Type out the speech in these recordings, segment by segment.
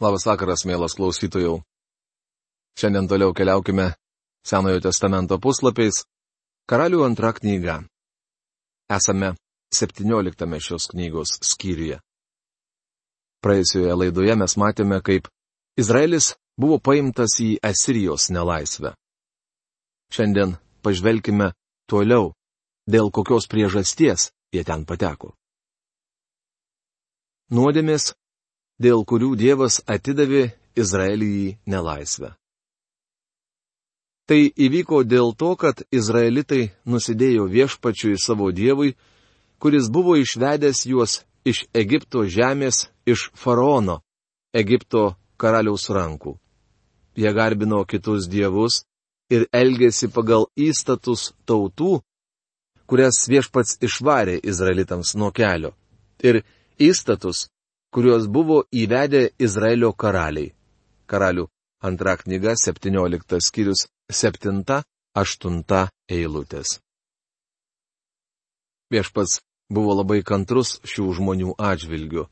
Labas vakaras, mielas klausytojų. Šiandien toliau keliaukime Senojo testamento puslapiais. Karalių antra knyga. Esame 17 šios knygos skyriuje. Praėjusioje laidoje mes matėme, kaip Izraelis buvo paimtas į Asirijos nelaisvę. Šiandien pažvelkime toliau, dėl kokios priežasties jie ten pateko. Nuodėmės, dėl kurių Dievas atidavė Izraelį į nelaisvę. Tai įvyko dėl to, kad izraelitai nusidėjo viešpačiui savo Dievui, kuris buvo išvedęs juos iš Egipto žemės, iš faraono, Egipto karaliaus rankų. Jie garbino kitus dievus ir elgėsi pagal įstatus tautų, kurias viešpats išvarė izraelitams nuo kelio, ir įstatus, kuriuos buvo įvedę Izraelio karaliai. Karalių antra knyga, 17 skyrius, 7-8 eilutės. Viešpats buvo labai kantrus šių žmonių atžvilgiu.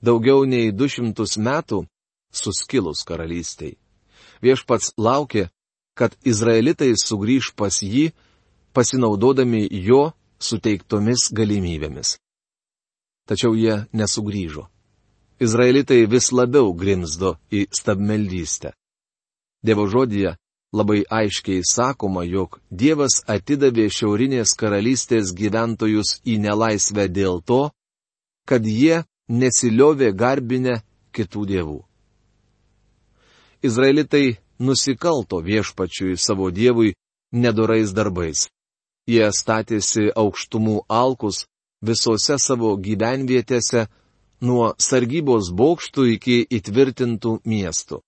Daugiau nei 200 metų suskilus karalystiai. Viešpats laukė, kad izraelitai sugrįž pas jį, pasinaudodami jo suteiktomis galimybėmis. Tačiau jie nesugrįžo. Izraelitai vis labiau grimzdo į stabmeldystę. Dievo žodyje labai aiškiai sakoma, jog Dievas atidavė šiaurinės karalystės gyventojus į nelaisvę dėl to, kad jie nesiliovė garbinę kitų dievų. Izraelitai nusikalto viešpačiui savo Dievui nedorais darbais. Jie statėsi aukštumų alkus visose savo gyvenvietėse, nuo sargybos bokštų iki įtvirtintų miestų.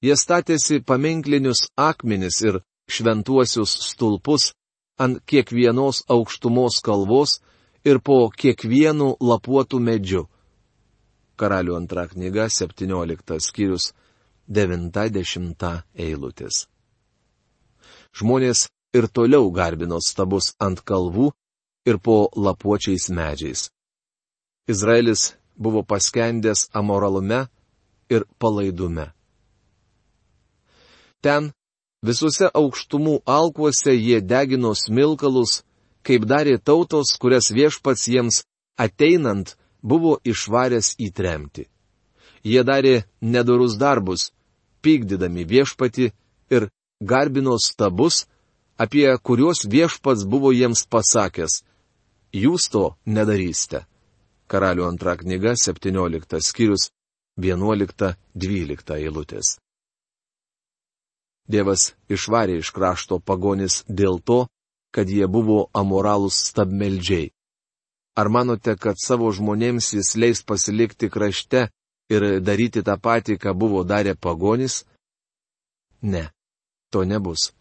Jie statėsi paminklinius akmenis ir šventuosius stulpus ant kiekvienos aukštumos kalvos ir po kiekvienu lapuotų medžiu. Karalių antra knyga, 17 skyrius, 9-10 eilutės. Žmonės ir toliau garbino stabus ant kalvų ir po lapuočiais medžiais. Izraelis buvo paskendęs amoralume ir palaidume. Ten, visuose aukštumų alkuose jie degino smilkalus, kaip darė tautos, kurias viešpats jiems ateinant buvo išvaręs į tremtį. Jie darė nedorus darbus, pykdydami viešpatį ir garbino stabus, apie kuriuos viešpats buvo jiems pasakęs: jūs to nedarysite. Karalių antra knyga, 17 skyrius, 11-12 eilutės. Dievas išvarė iš krašto pagonis dėl to, kad jie buvo amoralūs stabmeldžiai. Ar manote, kad savo žmonėms jis leis pasilikti krašte ir daryti tą patį, ką buvo darę pagonis? Ne, to nebus.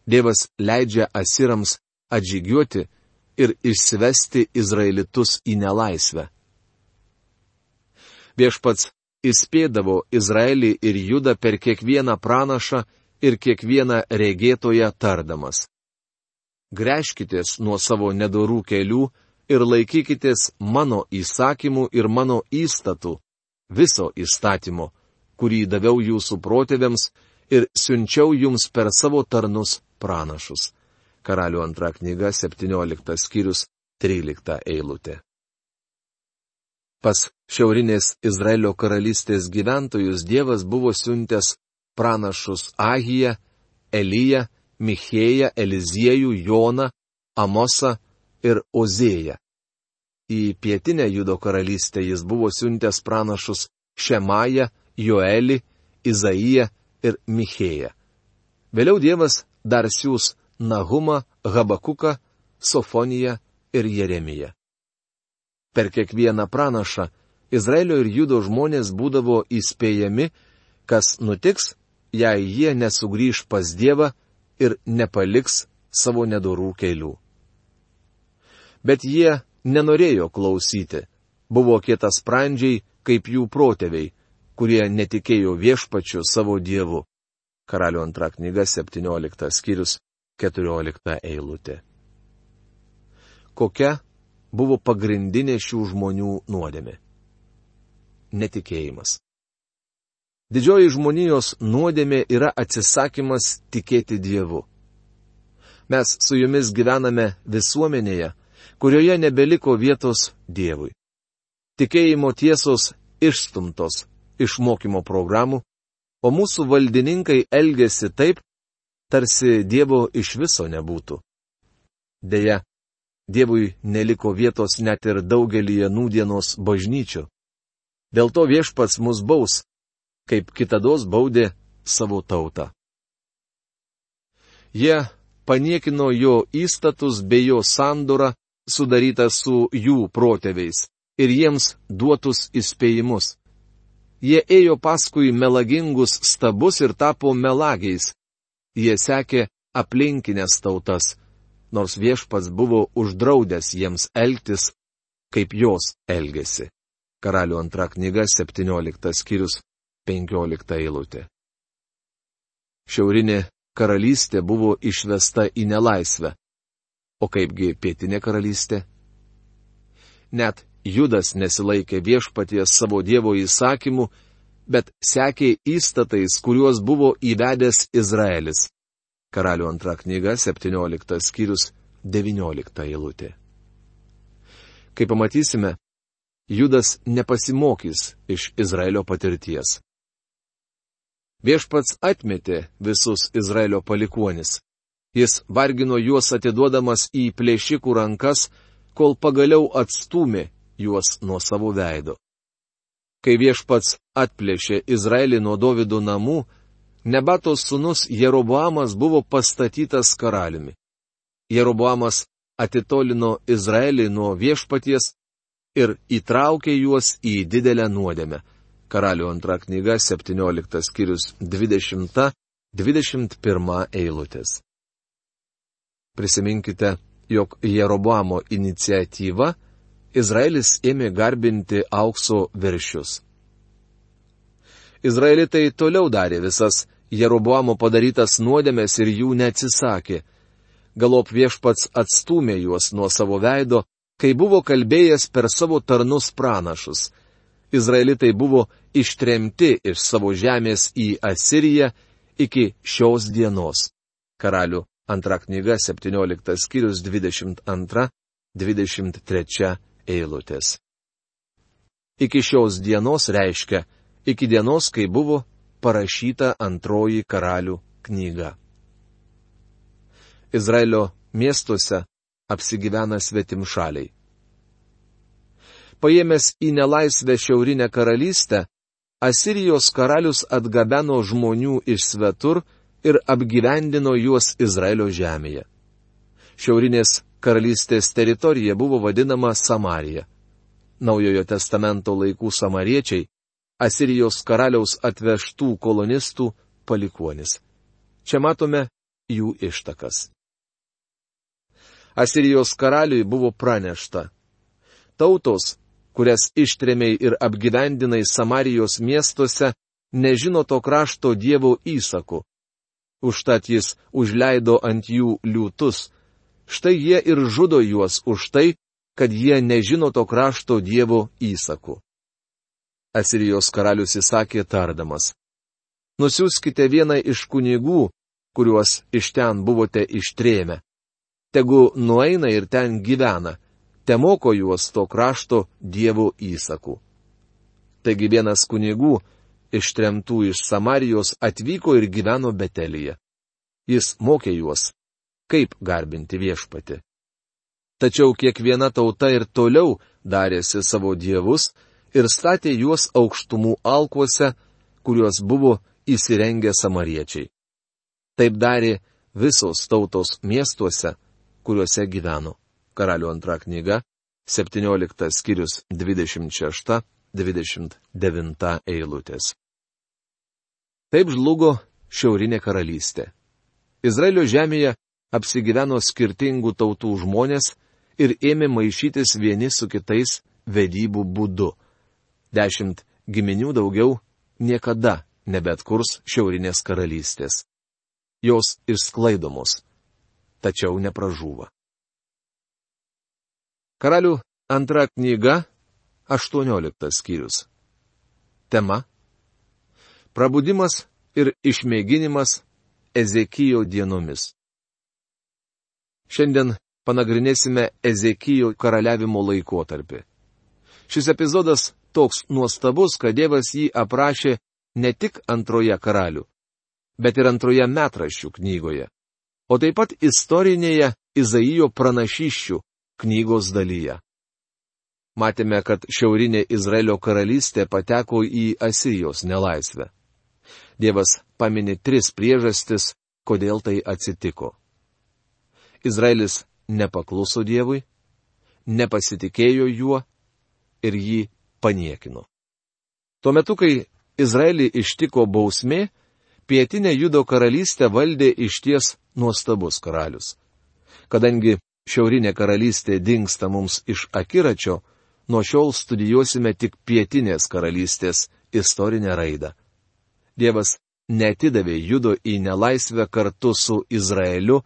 Dievas leidžia asirams atžygiuoti ir išsivesti izraelitus į nelaisvę. Viešpats įspėdavo Izraelį ir Judą per kiekvieną pranašą ir kiekvieną regėtoją tardamas: gręžkitės nuo savo nedorų kelių ir laikykitės mano įsakymų ir mano įstatų, viso įstatymo, kurį daviau jūsų protėviams ir siunčiau jums per savo tarnus pranašus. Karalių antra knyga, 17 skyrius, 13 eilutė. Pas šiaurinės Izraelio karalystės gyventojus Dievas buvo siuntęs pranašus Ahiją, Eliją, Michėją, Eliziejų, Joną, Amosą ir Ozėją. Į pietinę Judo karalystę jis buvo siuntęs pranašus Šemają, Joelį, Izaiją ir Michėją. Vėliau Dievas dar siūs Nahumą, Habakuką, Sofoniją ir Jeremiją. Per kiekvieną pranašą Izraelio ir Judo žmonės būdavo įspėjami, kas nutiks, jei jie nesugrįž pas Dievą ir nepaliks savo nedorų kelių. Bet jie nenorėjo klausyti, buvo kietasprandžiai kaip jų protėviai, kurie netikėjo viešpačiu savo Dievu. Karalių antra knyga, 17 skyrius, 14 eilutė. Kokia buvo pagrindinė šių žmonių nuodėmė? Netikėjimas. Didžioji žmonijos nuodėmė yra atsisakymas tikėti Dievu. Mes su jumis gyvename visuomenėje, kurioje nebeliko vietos Dievui. Tikėjimo tiesos išstumtos iš mokymo programų, o mūsų valdininkai elgesi taip, tarsi Dievo iš viso nebūtų. Deja, Dievui neliko vietos net ir daugelyje nūdienos bažnyčių. Dėl to Viešpats mus baus, kaip kitados baudė savo tautą. Jie paniekino jo įstatus bei jo sandorą, sudarytą su jų protėviais, ir jiems duotus įspėjimus. Jie ėjo paskui melagingus stabus ir tapo melagiais. Jie sekė aplinkinės tautas, nors Viešpats buvo uždraudęs jiems elgtis, kaip jos elgėsi. Karalių 2 knyga, 17 skyrius, 15 eilutė. Šiaurinė karalystė buvo išvesta į nelaisvę. O kaipgi pietinė karalystė? Net Judas nesilaikė Viešpaties savo Dievo įsakymų, bet sekė įstatais, kuriuos buvo įvedęs Izraelis. Karalių 2 knyga, 17 skyrius, 19 eilutė. Kaip pamatysime, Judas nepasimokys iš Izraelio patirties. Viešpats atmetė visus Izraelio palikuonis. Jis vargino juos atiduodamas į plėšikų rankas, kol pagaliau atstūmė juos nuo savo veido. Kai Viešpats atplėšė Izraelį nuo Dovido namų, Nebatos sūnus Jeroboamas buvo pastatytas karaliumi. Jeroboamas atitolino Izraelį nuo Viešpaties ir įtraukė juos į didelę nuodėmę. Karalių 2 knyga, 17 skyrius, 20-21 eilutės. Prisiminkite, jog Jeroboamo iniciatyva Izraelis ėmė garbinti aukso veršius. Izraelitai toliau darė visas Jeroboamo padarytas nuodėmes ir jų neatsisakė. Galop Viešpats atstūmė juos nuo savo veido, kai buvo kalbėjęs per savo tarnus pranašus. Izraelitai buvo ištremti iš savo žemės į Asiriją iki šios dienos. Karalių 2 knyga, 17 skyrius, 22-23 eilutės. Iki šios dienos reiškia, iki dienos, kai buvo parašyta 2 Karalių knyga. Izraelio miestuose apsigyvena svetimšaliai. Paėmęs į nelaisvę šiaurinę karalystę, Asirijos karalius atgabeno žmonių iš svetur ir apgyvendino juos Izraelio žemėje. Šiaurinės karalystės teritorija buvo vadinama Samarija. Naujojo testamento laikų samariečiai Asirijos karaliaus atvežtų kolonistų palikuonis. Čia matome jų ištakas. Asirijos karaliui buvo pranešta: tautos, kurias ištrėmei ir apgyvendinai Samarijos miestuose, nežino to krašto Dievo įsakų. Užtat jis užleido ant jų liūtus. Štai jie ir žudo juos už tai, kad jie nežino to krašto Dievo įsakų. Asirijos karalius įsakė tardamas: nusiųskite vieną iš kunigų, kuriuos iš ten buvote ištrėmę. Tegu nueina ir ten gyvena, te moko juos to krašto Dievo įsakų. Taigi vienas kunigų, ištremtų iš Samarijos, atvyko ir gyveno Betelyje. Jis mokė juos, kaip garbinti Viešpatį. Tačiau kiekviena tauta ir toliau darėsi savo dievus ir statė juos aukštumų alkuose, kuriuos buvo įsirengę samariečiai. Taip darė visos tautos miestuose, kuriuose gyveno. Karalių 2 knyga, 17 skyrius, 26-29 eilutės. Taip žlugo šiaurinė karalystė. Izraelio žemėje apsigyveno skirtingų tautų žmonės ir ėmė maišytis vieni su kitais vedybų būdu. 10 giminių daugiau niekada nebeatkurs šiaurinės karalystės. Jos išsklaidomos, tačiau nepražūva. Karalių 2 knyga, 18 skyrius. Tema: Prabudimas ir išmėginimas Ezekijo dienomis. Šiandien panagrinėsime Ezekijo karaliavimo laikotarpį. Šis epizodas toks nuostabus, kad Dievas jį aprašė ne tik antroje karalių, bet ir antroje metraščių knygoje, o taip pat istorinėje Izaijo pranašysčių knygos dalyje. Matėme, kad šiaurinė Izraelio karalystė pateko į Asirijos nelaisvę. Dievas pamini 3 priežastis, kodėl tai atsitiko. Izraelis nepakluso Dievui, nepasitikėjo juo ir jį paniekino. Tuo metu, kai Izraelį ištiko bausmė, pietinė Judo karalystė valdė išties nuostabus karalius. Kadangi šiaurinė karalystė dingsta mums iš akiračio, nuo šiol studijuosime tik pietinės karalystės istorinę raidą. Dievas neatidavė Judo į nelaisvę kartu su Izraeliu,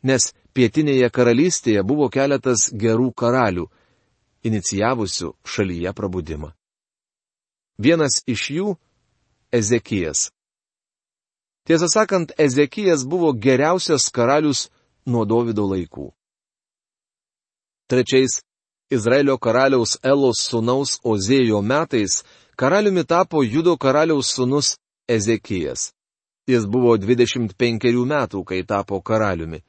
nes pietinėje karalystėje buvo keletas gerų karalių, inicijavusių šalyje prabudimą. Vienas iš jų - Ezekijas. Tiesą sakant, Ezekijas buvo geriausias karalius nuo Dovydo laikų. Trečiais Izraelio karaliaus Elos sūnaus Ozėjo metais karaliumi tapo Judo karaliaus sūnus Ezekijas. Jis buvo 25 metų, kai tapo karaliumi,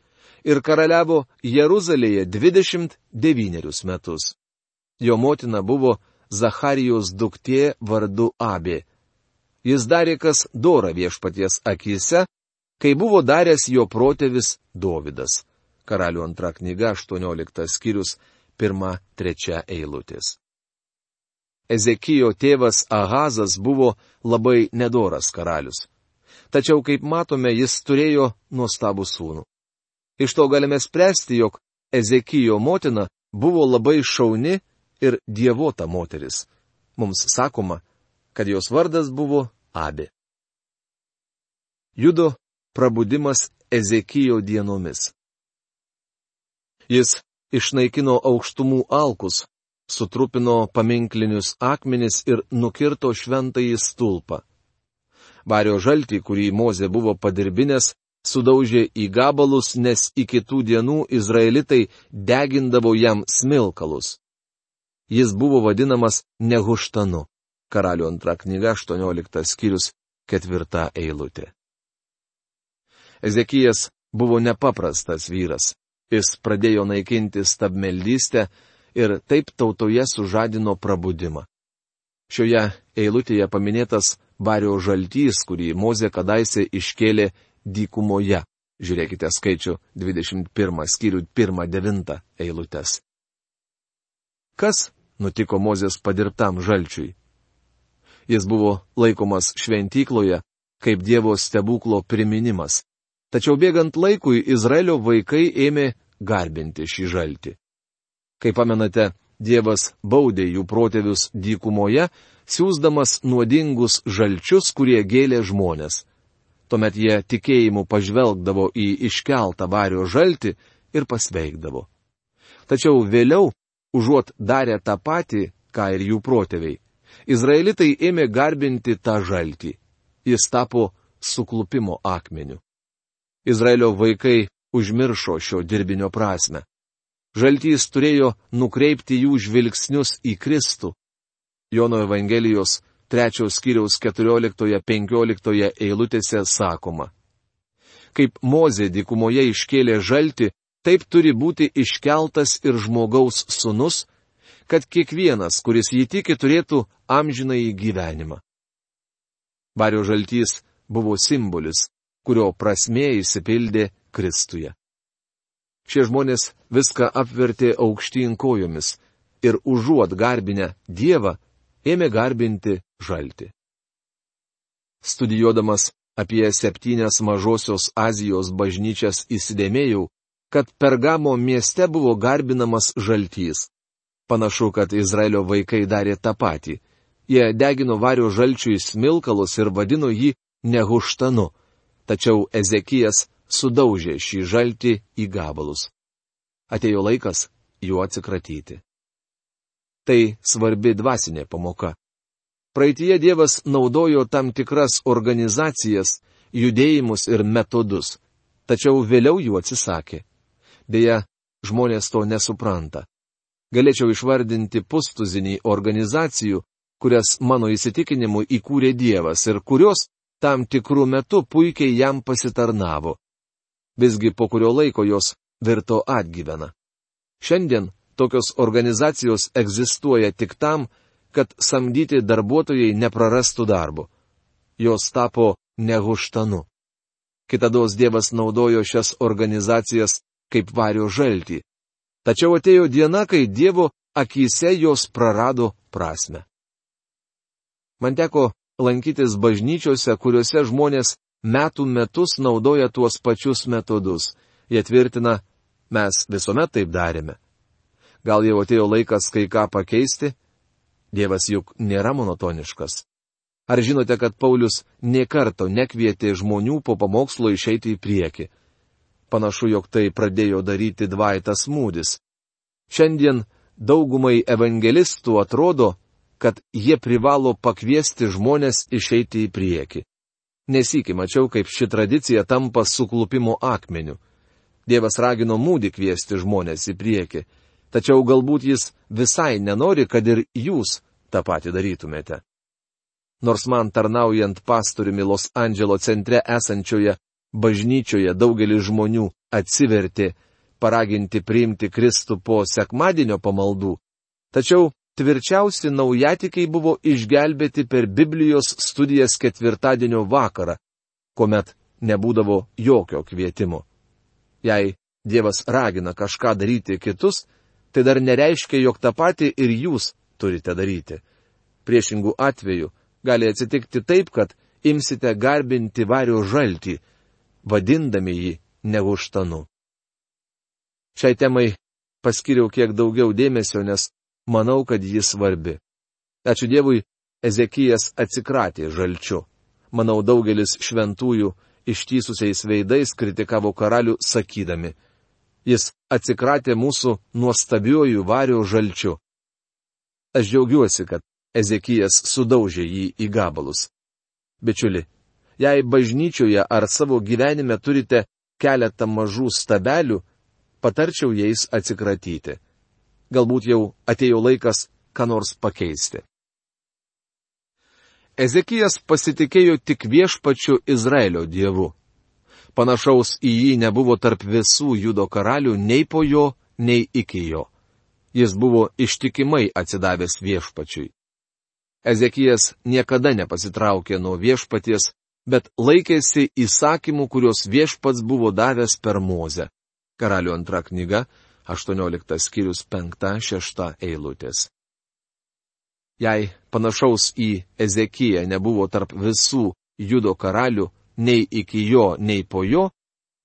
ir karaliavo Jeruzalėje 29 metus. Jo motina buvo Zacharijos duktė vardu Abė. Jis darė kas dora viešpaties akyse, kai buvo daręs jo protėvis Dovydas. Karalių 2 knyga, 18 skyrius, 1-3 eilutės. Ezekijo tėvas Ahazas buvo labai nedoras karalius. Tačiau, kaip matome, jis turėjo nuostabų sūnų. Iš to galime spręsti, jog Ezekijo motina buvo labai šauni ir dievota moteris. Mums sakoma, kad jos vardas buvo Abė. Judo prabudimas Ezekijo dienomis. Jis išnaikino aukštumų alkus, sutrupino paminklinius akmenis ir nukirto šventąjį stulpą. Vario žaltį, kurį Mozė buvo padirbinęs, sudaužė į gabalus, nes iki tų dienų izraelitai degindavo jam smilkalus. Jis buvo vadinamas Nehuštanu. Karalių 2 knyga, 18 skyrius, 4 eilutė. Ezekijas buvo nepaprastas vyras. Jis pradėjo naikinti stabmeldystę ir taip tautoje sužadino prabudimą. Šioje eilutėje paminėtas Vario žaltys, kurį Mozė kadaise iškėlė dykumoje. Žiūrėkite skaičių 21 skyrių 1-9 eilutės. Kas nutiko Mozės padirbtam žalčiui? Jis buvo laikomas šventykloje kaip Dievo stebuklo priminimas. Tačiau bėgant laikui Izraelio vaikai ėmė garbinti šį žaltį. Kaip pamenate, Dievas baudė jų protėvius dykumoje, siųsdamas nuodingus žalčius, kurie gėlė žmonės. Tuomet jie tikėjimu pažvelgdavo į iškeltą Vario žaltį ir pasveikdavo. Tačiau vėliau, užuot darę tą patį, ką ir jų protėviai, izraelitai ėmė garbinti tą žaltį. Jis tapo suklupimo akmeniu. Izraelio vaikai užmiršo šio dirbinio prasme. Žaltys turėjo nukreipti jų žvilgsnius į Kristų. Jono Evangelijos 3 skyriaus 14-15 eilutėse sakoma: Kaip Mozė dykumoje iškėlė žaltį, taip turi būti iškeltas ir žmogaus sūnus, kad kiekvienas, kuris jį tiki, turėtų amžinąjį gyvenimą. Vario žaltys buvo simbolis, kurio prasmė išsipildė Kristuje. Šie žmonės viską apvertė aukštyn kojomis ir užuot garbinę Dievą, ėmė garbinti žaltį. Studijuodamas apie 7 mažosios Azijos bažnyčias įsidėmėjau, kad Pergamo mieste buvo garbinamas žaltys. Panašu, kad Izraelio vaikai darė tą patį. Jie degino Vario žalčiui smilkalus ir vadino jį Nehuštanu. Tačiau Ezekijas sudaužė šį žaltį į gabalus. Atėjo laikas juo atsikratyti. Tai svarbi dvasinė pamoka. Praeitie Dievas naudojo tam tikras organizacijas, judėjimus ir metodus, tačiau vėliau jų atsisakė. Deja, žmonės to nesupranta. Galėčiau išvardinti pustuzinį organizacijų, kurias mano įsitikinimu įkūrė Dievas ir kurios tam tikrų metų puikiai jam pasitarnavo. Visgi po kurio laiko jos virto atgyvena. Šiandien tokios organizacijos egzistuoja tik tam, kad samdyti darbuotojai neprarastų darbo. Jos tapo nehuštanu. Kitados Dievas naudojo šias organizacijas kaip vario žaltį. Tačiau atėjo diena, kai Dievo akyse jos prarado prasme. Man teko lankytis bažnyčiose, kuriuose žmonės metų metus naudoja tuos pačius metodus. Jie tvirtina, mes visuomet taip darėme. Gal jau atėjo laikas kai ką pakeisti? Dievas juk nėra monotoniškas. Ar žinote, kad Paulius nė karto nekvietė žmonių po pamokslo išeiti į priekį? Panašu, jog tai pradėjo daryti Dvaitas Mūdis. Šiandien daugumai evangelistų atrodo, kad jie privalo pakviesti žmonės išeiti į priekį. Nesykį mačiau, kaip ši tradicija tampa suklupimo akmeniu. Dievas ragino Mūdį kviesti žmonės į priekį, tačiau galbūt jis visai nenori, kad ir jūs tą patį darytumėte. Nors man tarnaujant pastoriumi Los Andželo centre esančioje bažnyčioje daugelis žmonių atsivertė, paraginti priimti Kristų po sekmadienio pamaldų, tačiau tvirčiausi naujatikiai buvo išgelbėti per Biblijos studijas ketvirtadienio vakarą, kuomet nebūdavo jokio kvietimo. Jei Dievas ragina kažką daryti kitus, tai dar nereiškia, jog tą patį ir jūs turite daryti. Priešingų atveju gali atsitikti taip, kad imsite garbinti vario žaltį, vadindami jį nehuštanu. Šiai temai paskiriau kiek daugiau dėmesio, nes manau, kad jis svarbi. Ačiū Dievui, Ezekijas atsikratė žalčiu. Manau, daugelis šventųjų ištįsusiais veidais kritikavo karalių sakydami, jis atsikratė mūsų nuostabiuoju vario žalčiu. Aš džiaugiuosi, kad Ezekijas sudaužė jį į gabalus. Bičiuli, jei bažnyčioje ar savo gyvenime turite keletą mažų stabelių, patarčiau jais atsikratyti. Galbūt jau atėjo laikas ką nors pakeisti. Ezekijas pasitikėjo tik viešpačiu Izraelio dievu. Panašaus į jį nebuvo tarp visų Judo karalių nei po jo, nei iki jo. Jis buvo ištikimai atsidavęs viešpačiui. Ezekijas niekada nepasitraukė nuo viešpaties, bet laikėsi įsakymų, kuriuos viešpats buvo davęs per Mozę. Karalių antra knyga, 18 skyrius 5-6 eilutės. Jei panašaus į Ezekiją nebuvo tarp visų Judo karalių, nei iki jo, nei po jo,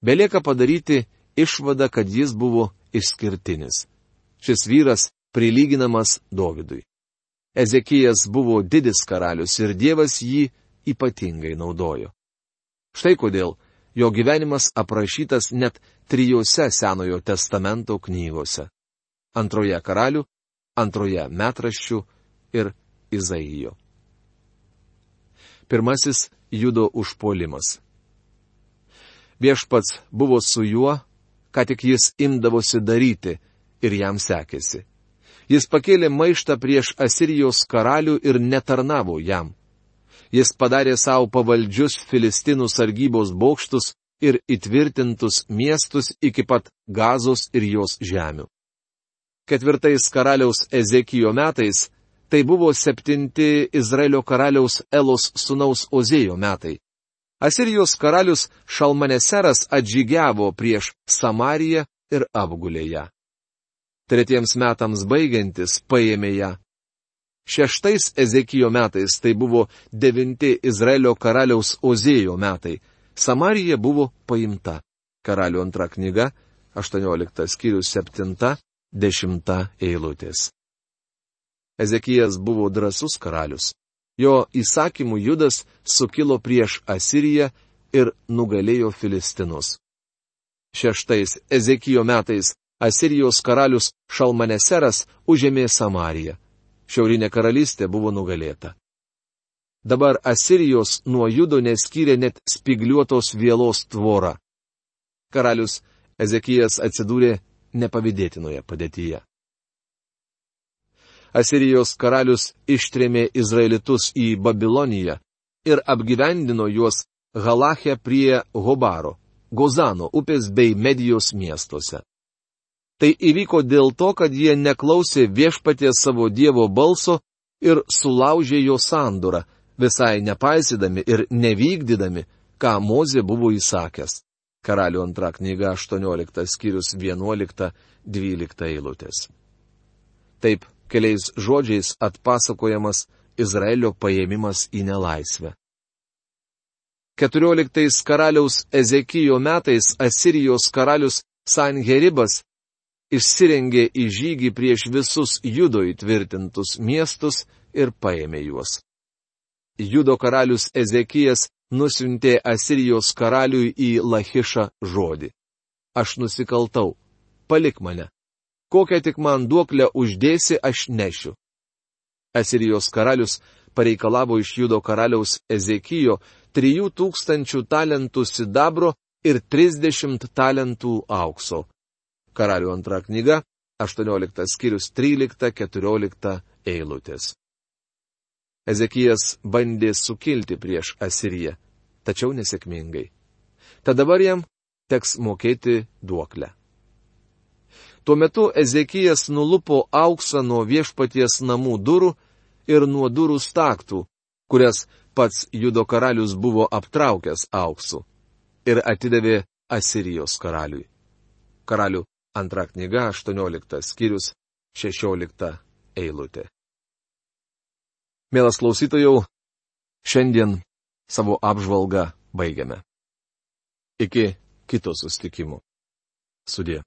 belieka padaryti išvadą, kad jis buvo išskirtinis. Šis vyras prilyginamas Dovydui. Ezekijas buvo didis karalius ir Dievas jį ypatingai naudojo. Štai kodėl jo gyvenimas aprašytas net 3 Senojo testamento knygose. 2 Karalių, 2 Metraščių ir Izaijo. 1 Judo užpuolimas. Viešpats buvo su juo, ką tik jis imdavosi daryti, ir jam sekėsi. Jis pakėlė maištą prieš Asirijos karalių ir netarnavo jam. Jis padarė savo pavaldžius Filistinų sargybos bokštus ir įtvirtintus miestus iki pat Gazos ir jos žemių. 4 karaliaus Ezekijo metais tai buvo 7 Izraelio karaliaus Elos sūnaus Ozėjo metai. Asirijos karalius Šalmaneseras atžygiavo prieš Samariją ir apgulė ją. 3 metams baigiantis paėmė ją. 6 Ezekijo metais tai buvo 9 Izraelio karaliaus Ozėjo metai. Samarija buvo paimta. Karalių antra knyga, 18 skyrius 7-10 eilutės. Ezekijas buvo drąsus karalius. Jo įsakymų Judas sukilo prieš Asiriją ir nugalėjo Filistinus. 6 Ezekijo metais Asirijos karalius Šalmaneseras užėmė Samariją. Šiaurinė karalystė buvo nugalėta. Dabar Asirijos nuo Judo neskyrė net spigliuotos vielos tvorą. Karalius Ezekijas atsidūrė nepavydėtinoje padėtyje. Asirijos karalius ištrėmė Izraelitus į Babiloniją ir apgyvendino juos Halache prie Hobaro, Gozano upės bei Medijos miestuose. Tai įvyko dėl to, kad jie neklausė viešpaties savo Dievo balso ir sulaužė jo sandorą, visai nepaisydami ir nevykdydami, ką Mozė buvo įsakęs. Karalių antra knyga 18 skyrius 11-12 eilutės. Taip, keliais žodžiais atpasakojamas Izraelio paėmimas į nelaisvę. 14 karaliaus Ezekijo metais Asirijos karalius Sanheribas išsirengė į žygį prieš visus Judo įtvirtintus miestus ir paėmė juos. Judo karalius Ezekijas nusiuntė Asirijos karaliui į Lachišą žodį. Aš nusikaltau, palik mane. Kokią tik man duoklę uždėsi, aš nešiu. Asirijos karalius pareikalavo iš Judo karaliaus Ezekijo 3000 talentų sidabro ir 30 talentų aukso. Karalių antra knyga, 18 skyrius 13-14 eilutės. Ezekijas bandė sukilti prieš Asiriją, tačiau nesėkmingai. Tad dabar jam teks mokėti duoklę. Tuo metu Ezekijas nulupo auksą nuo viešpaties namų durų ir nuo durų staktų, kurias pats Judo karalius buvo aptraukęs auksu, ir atidavė Asirijos karaliui. Karalių antra knyga, 18 skyrius, 16 eilutė. Mielas klausytojau, šiandien savo apžvalgą baigiame. Iki kito susitikimo. Sudie.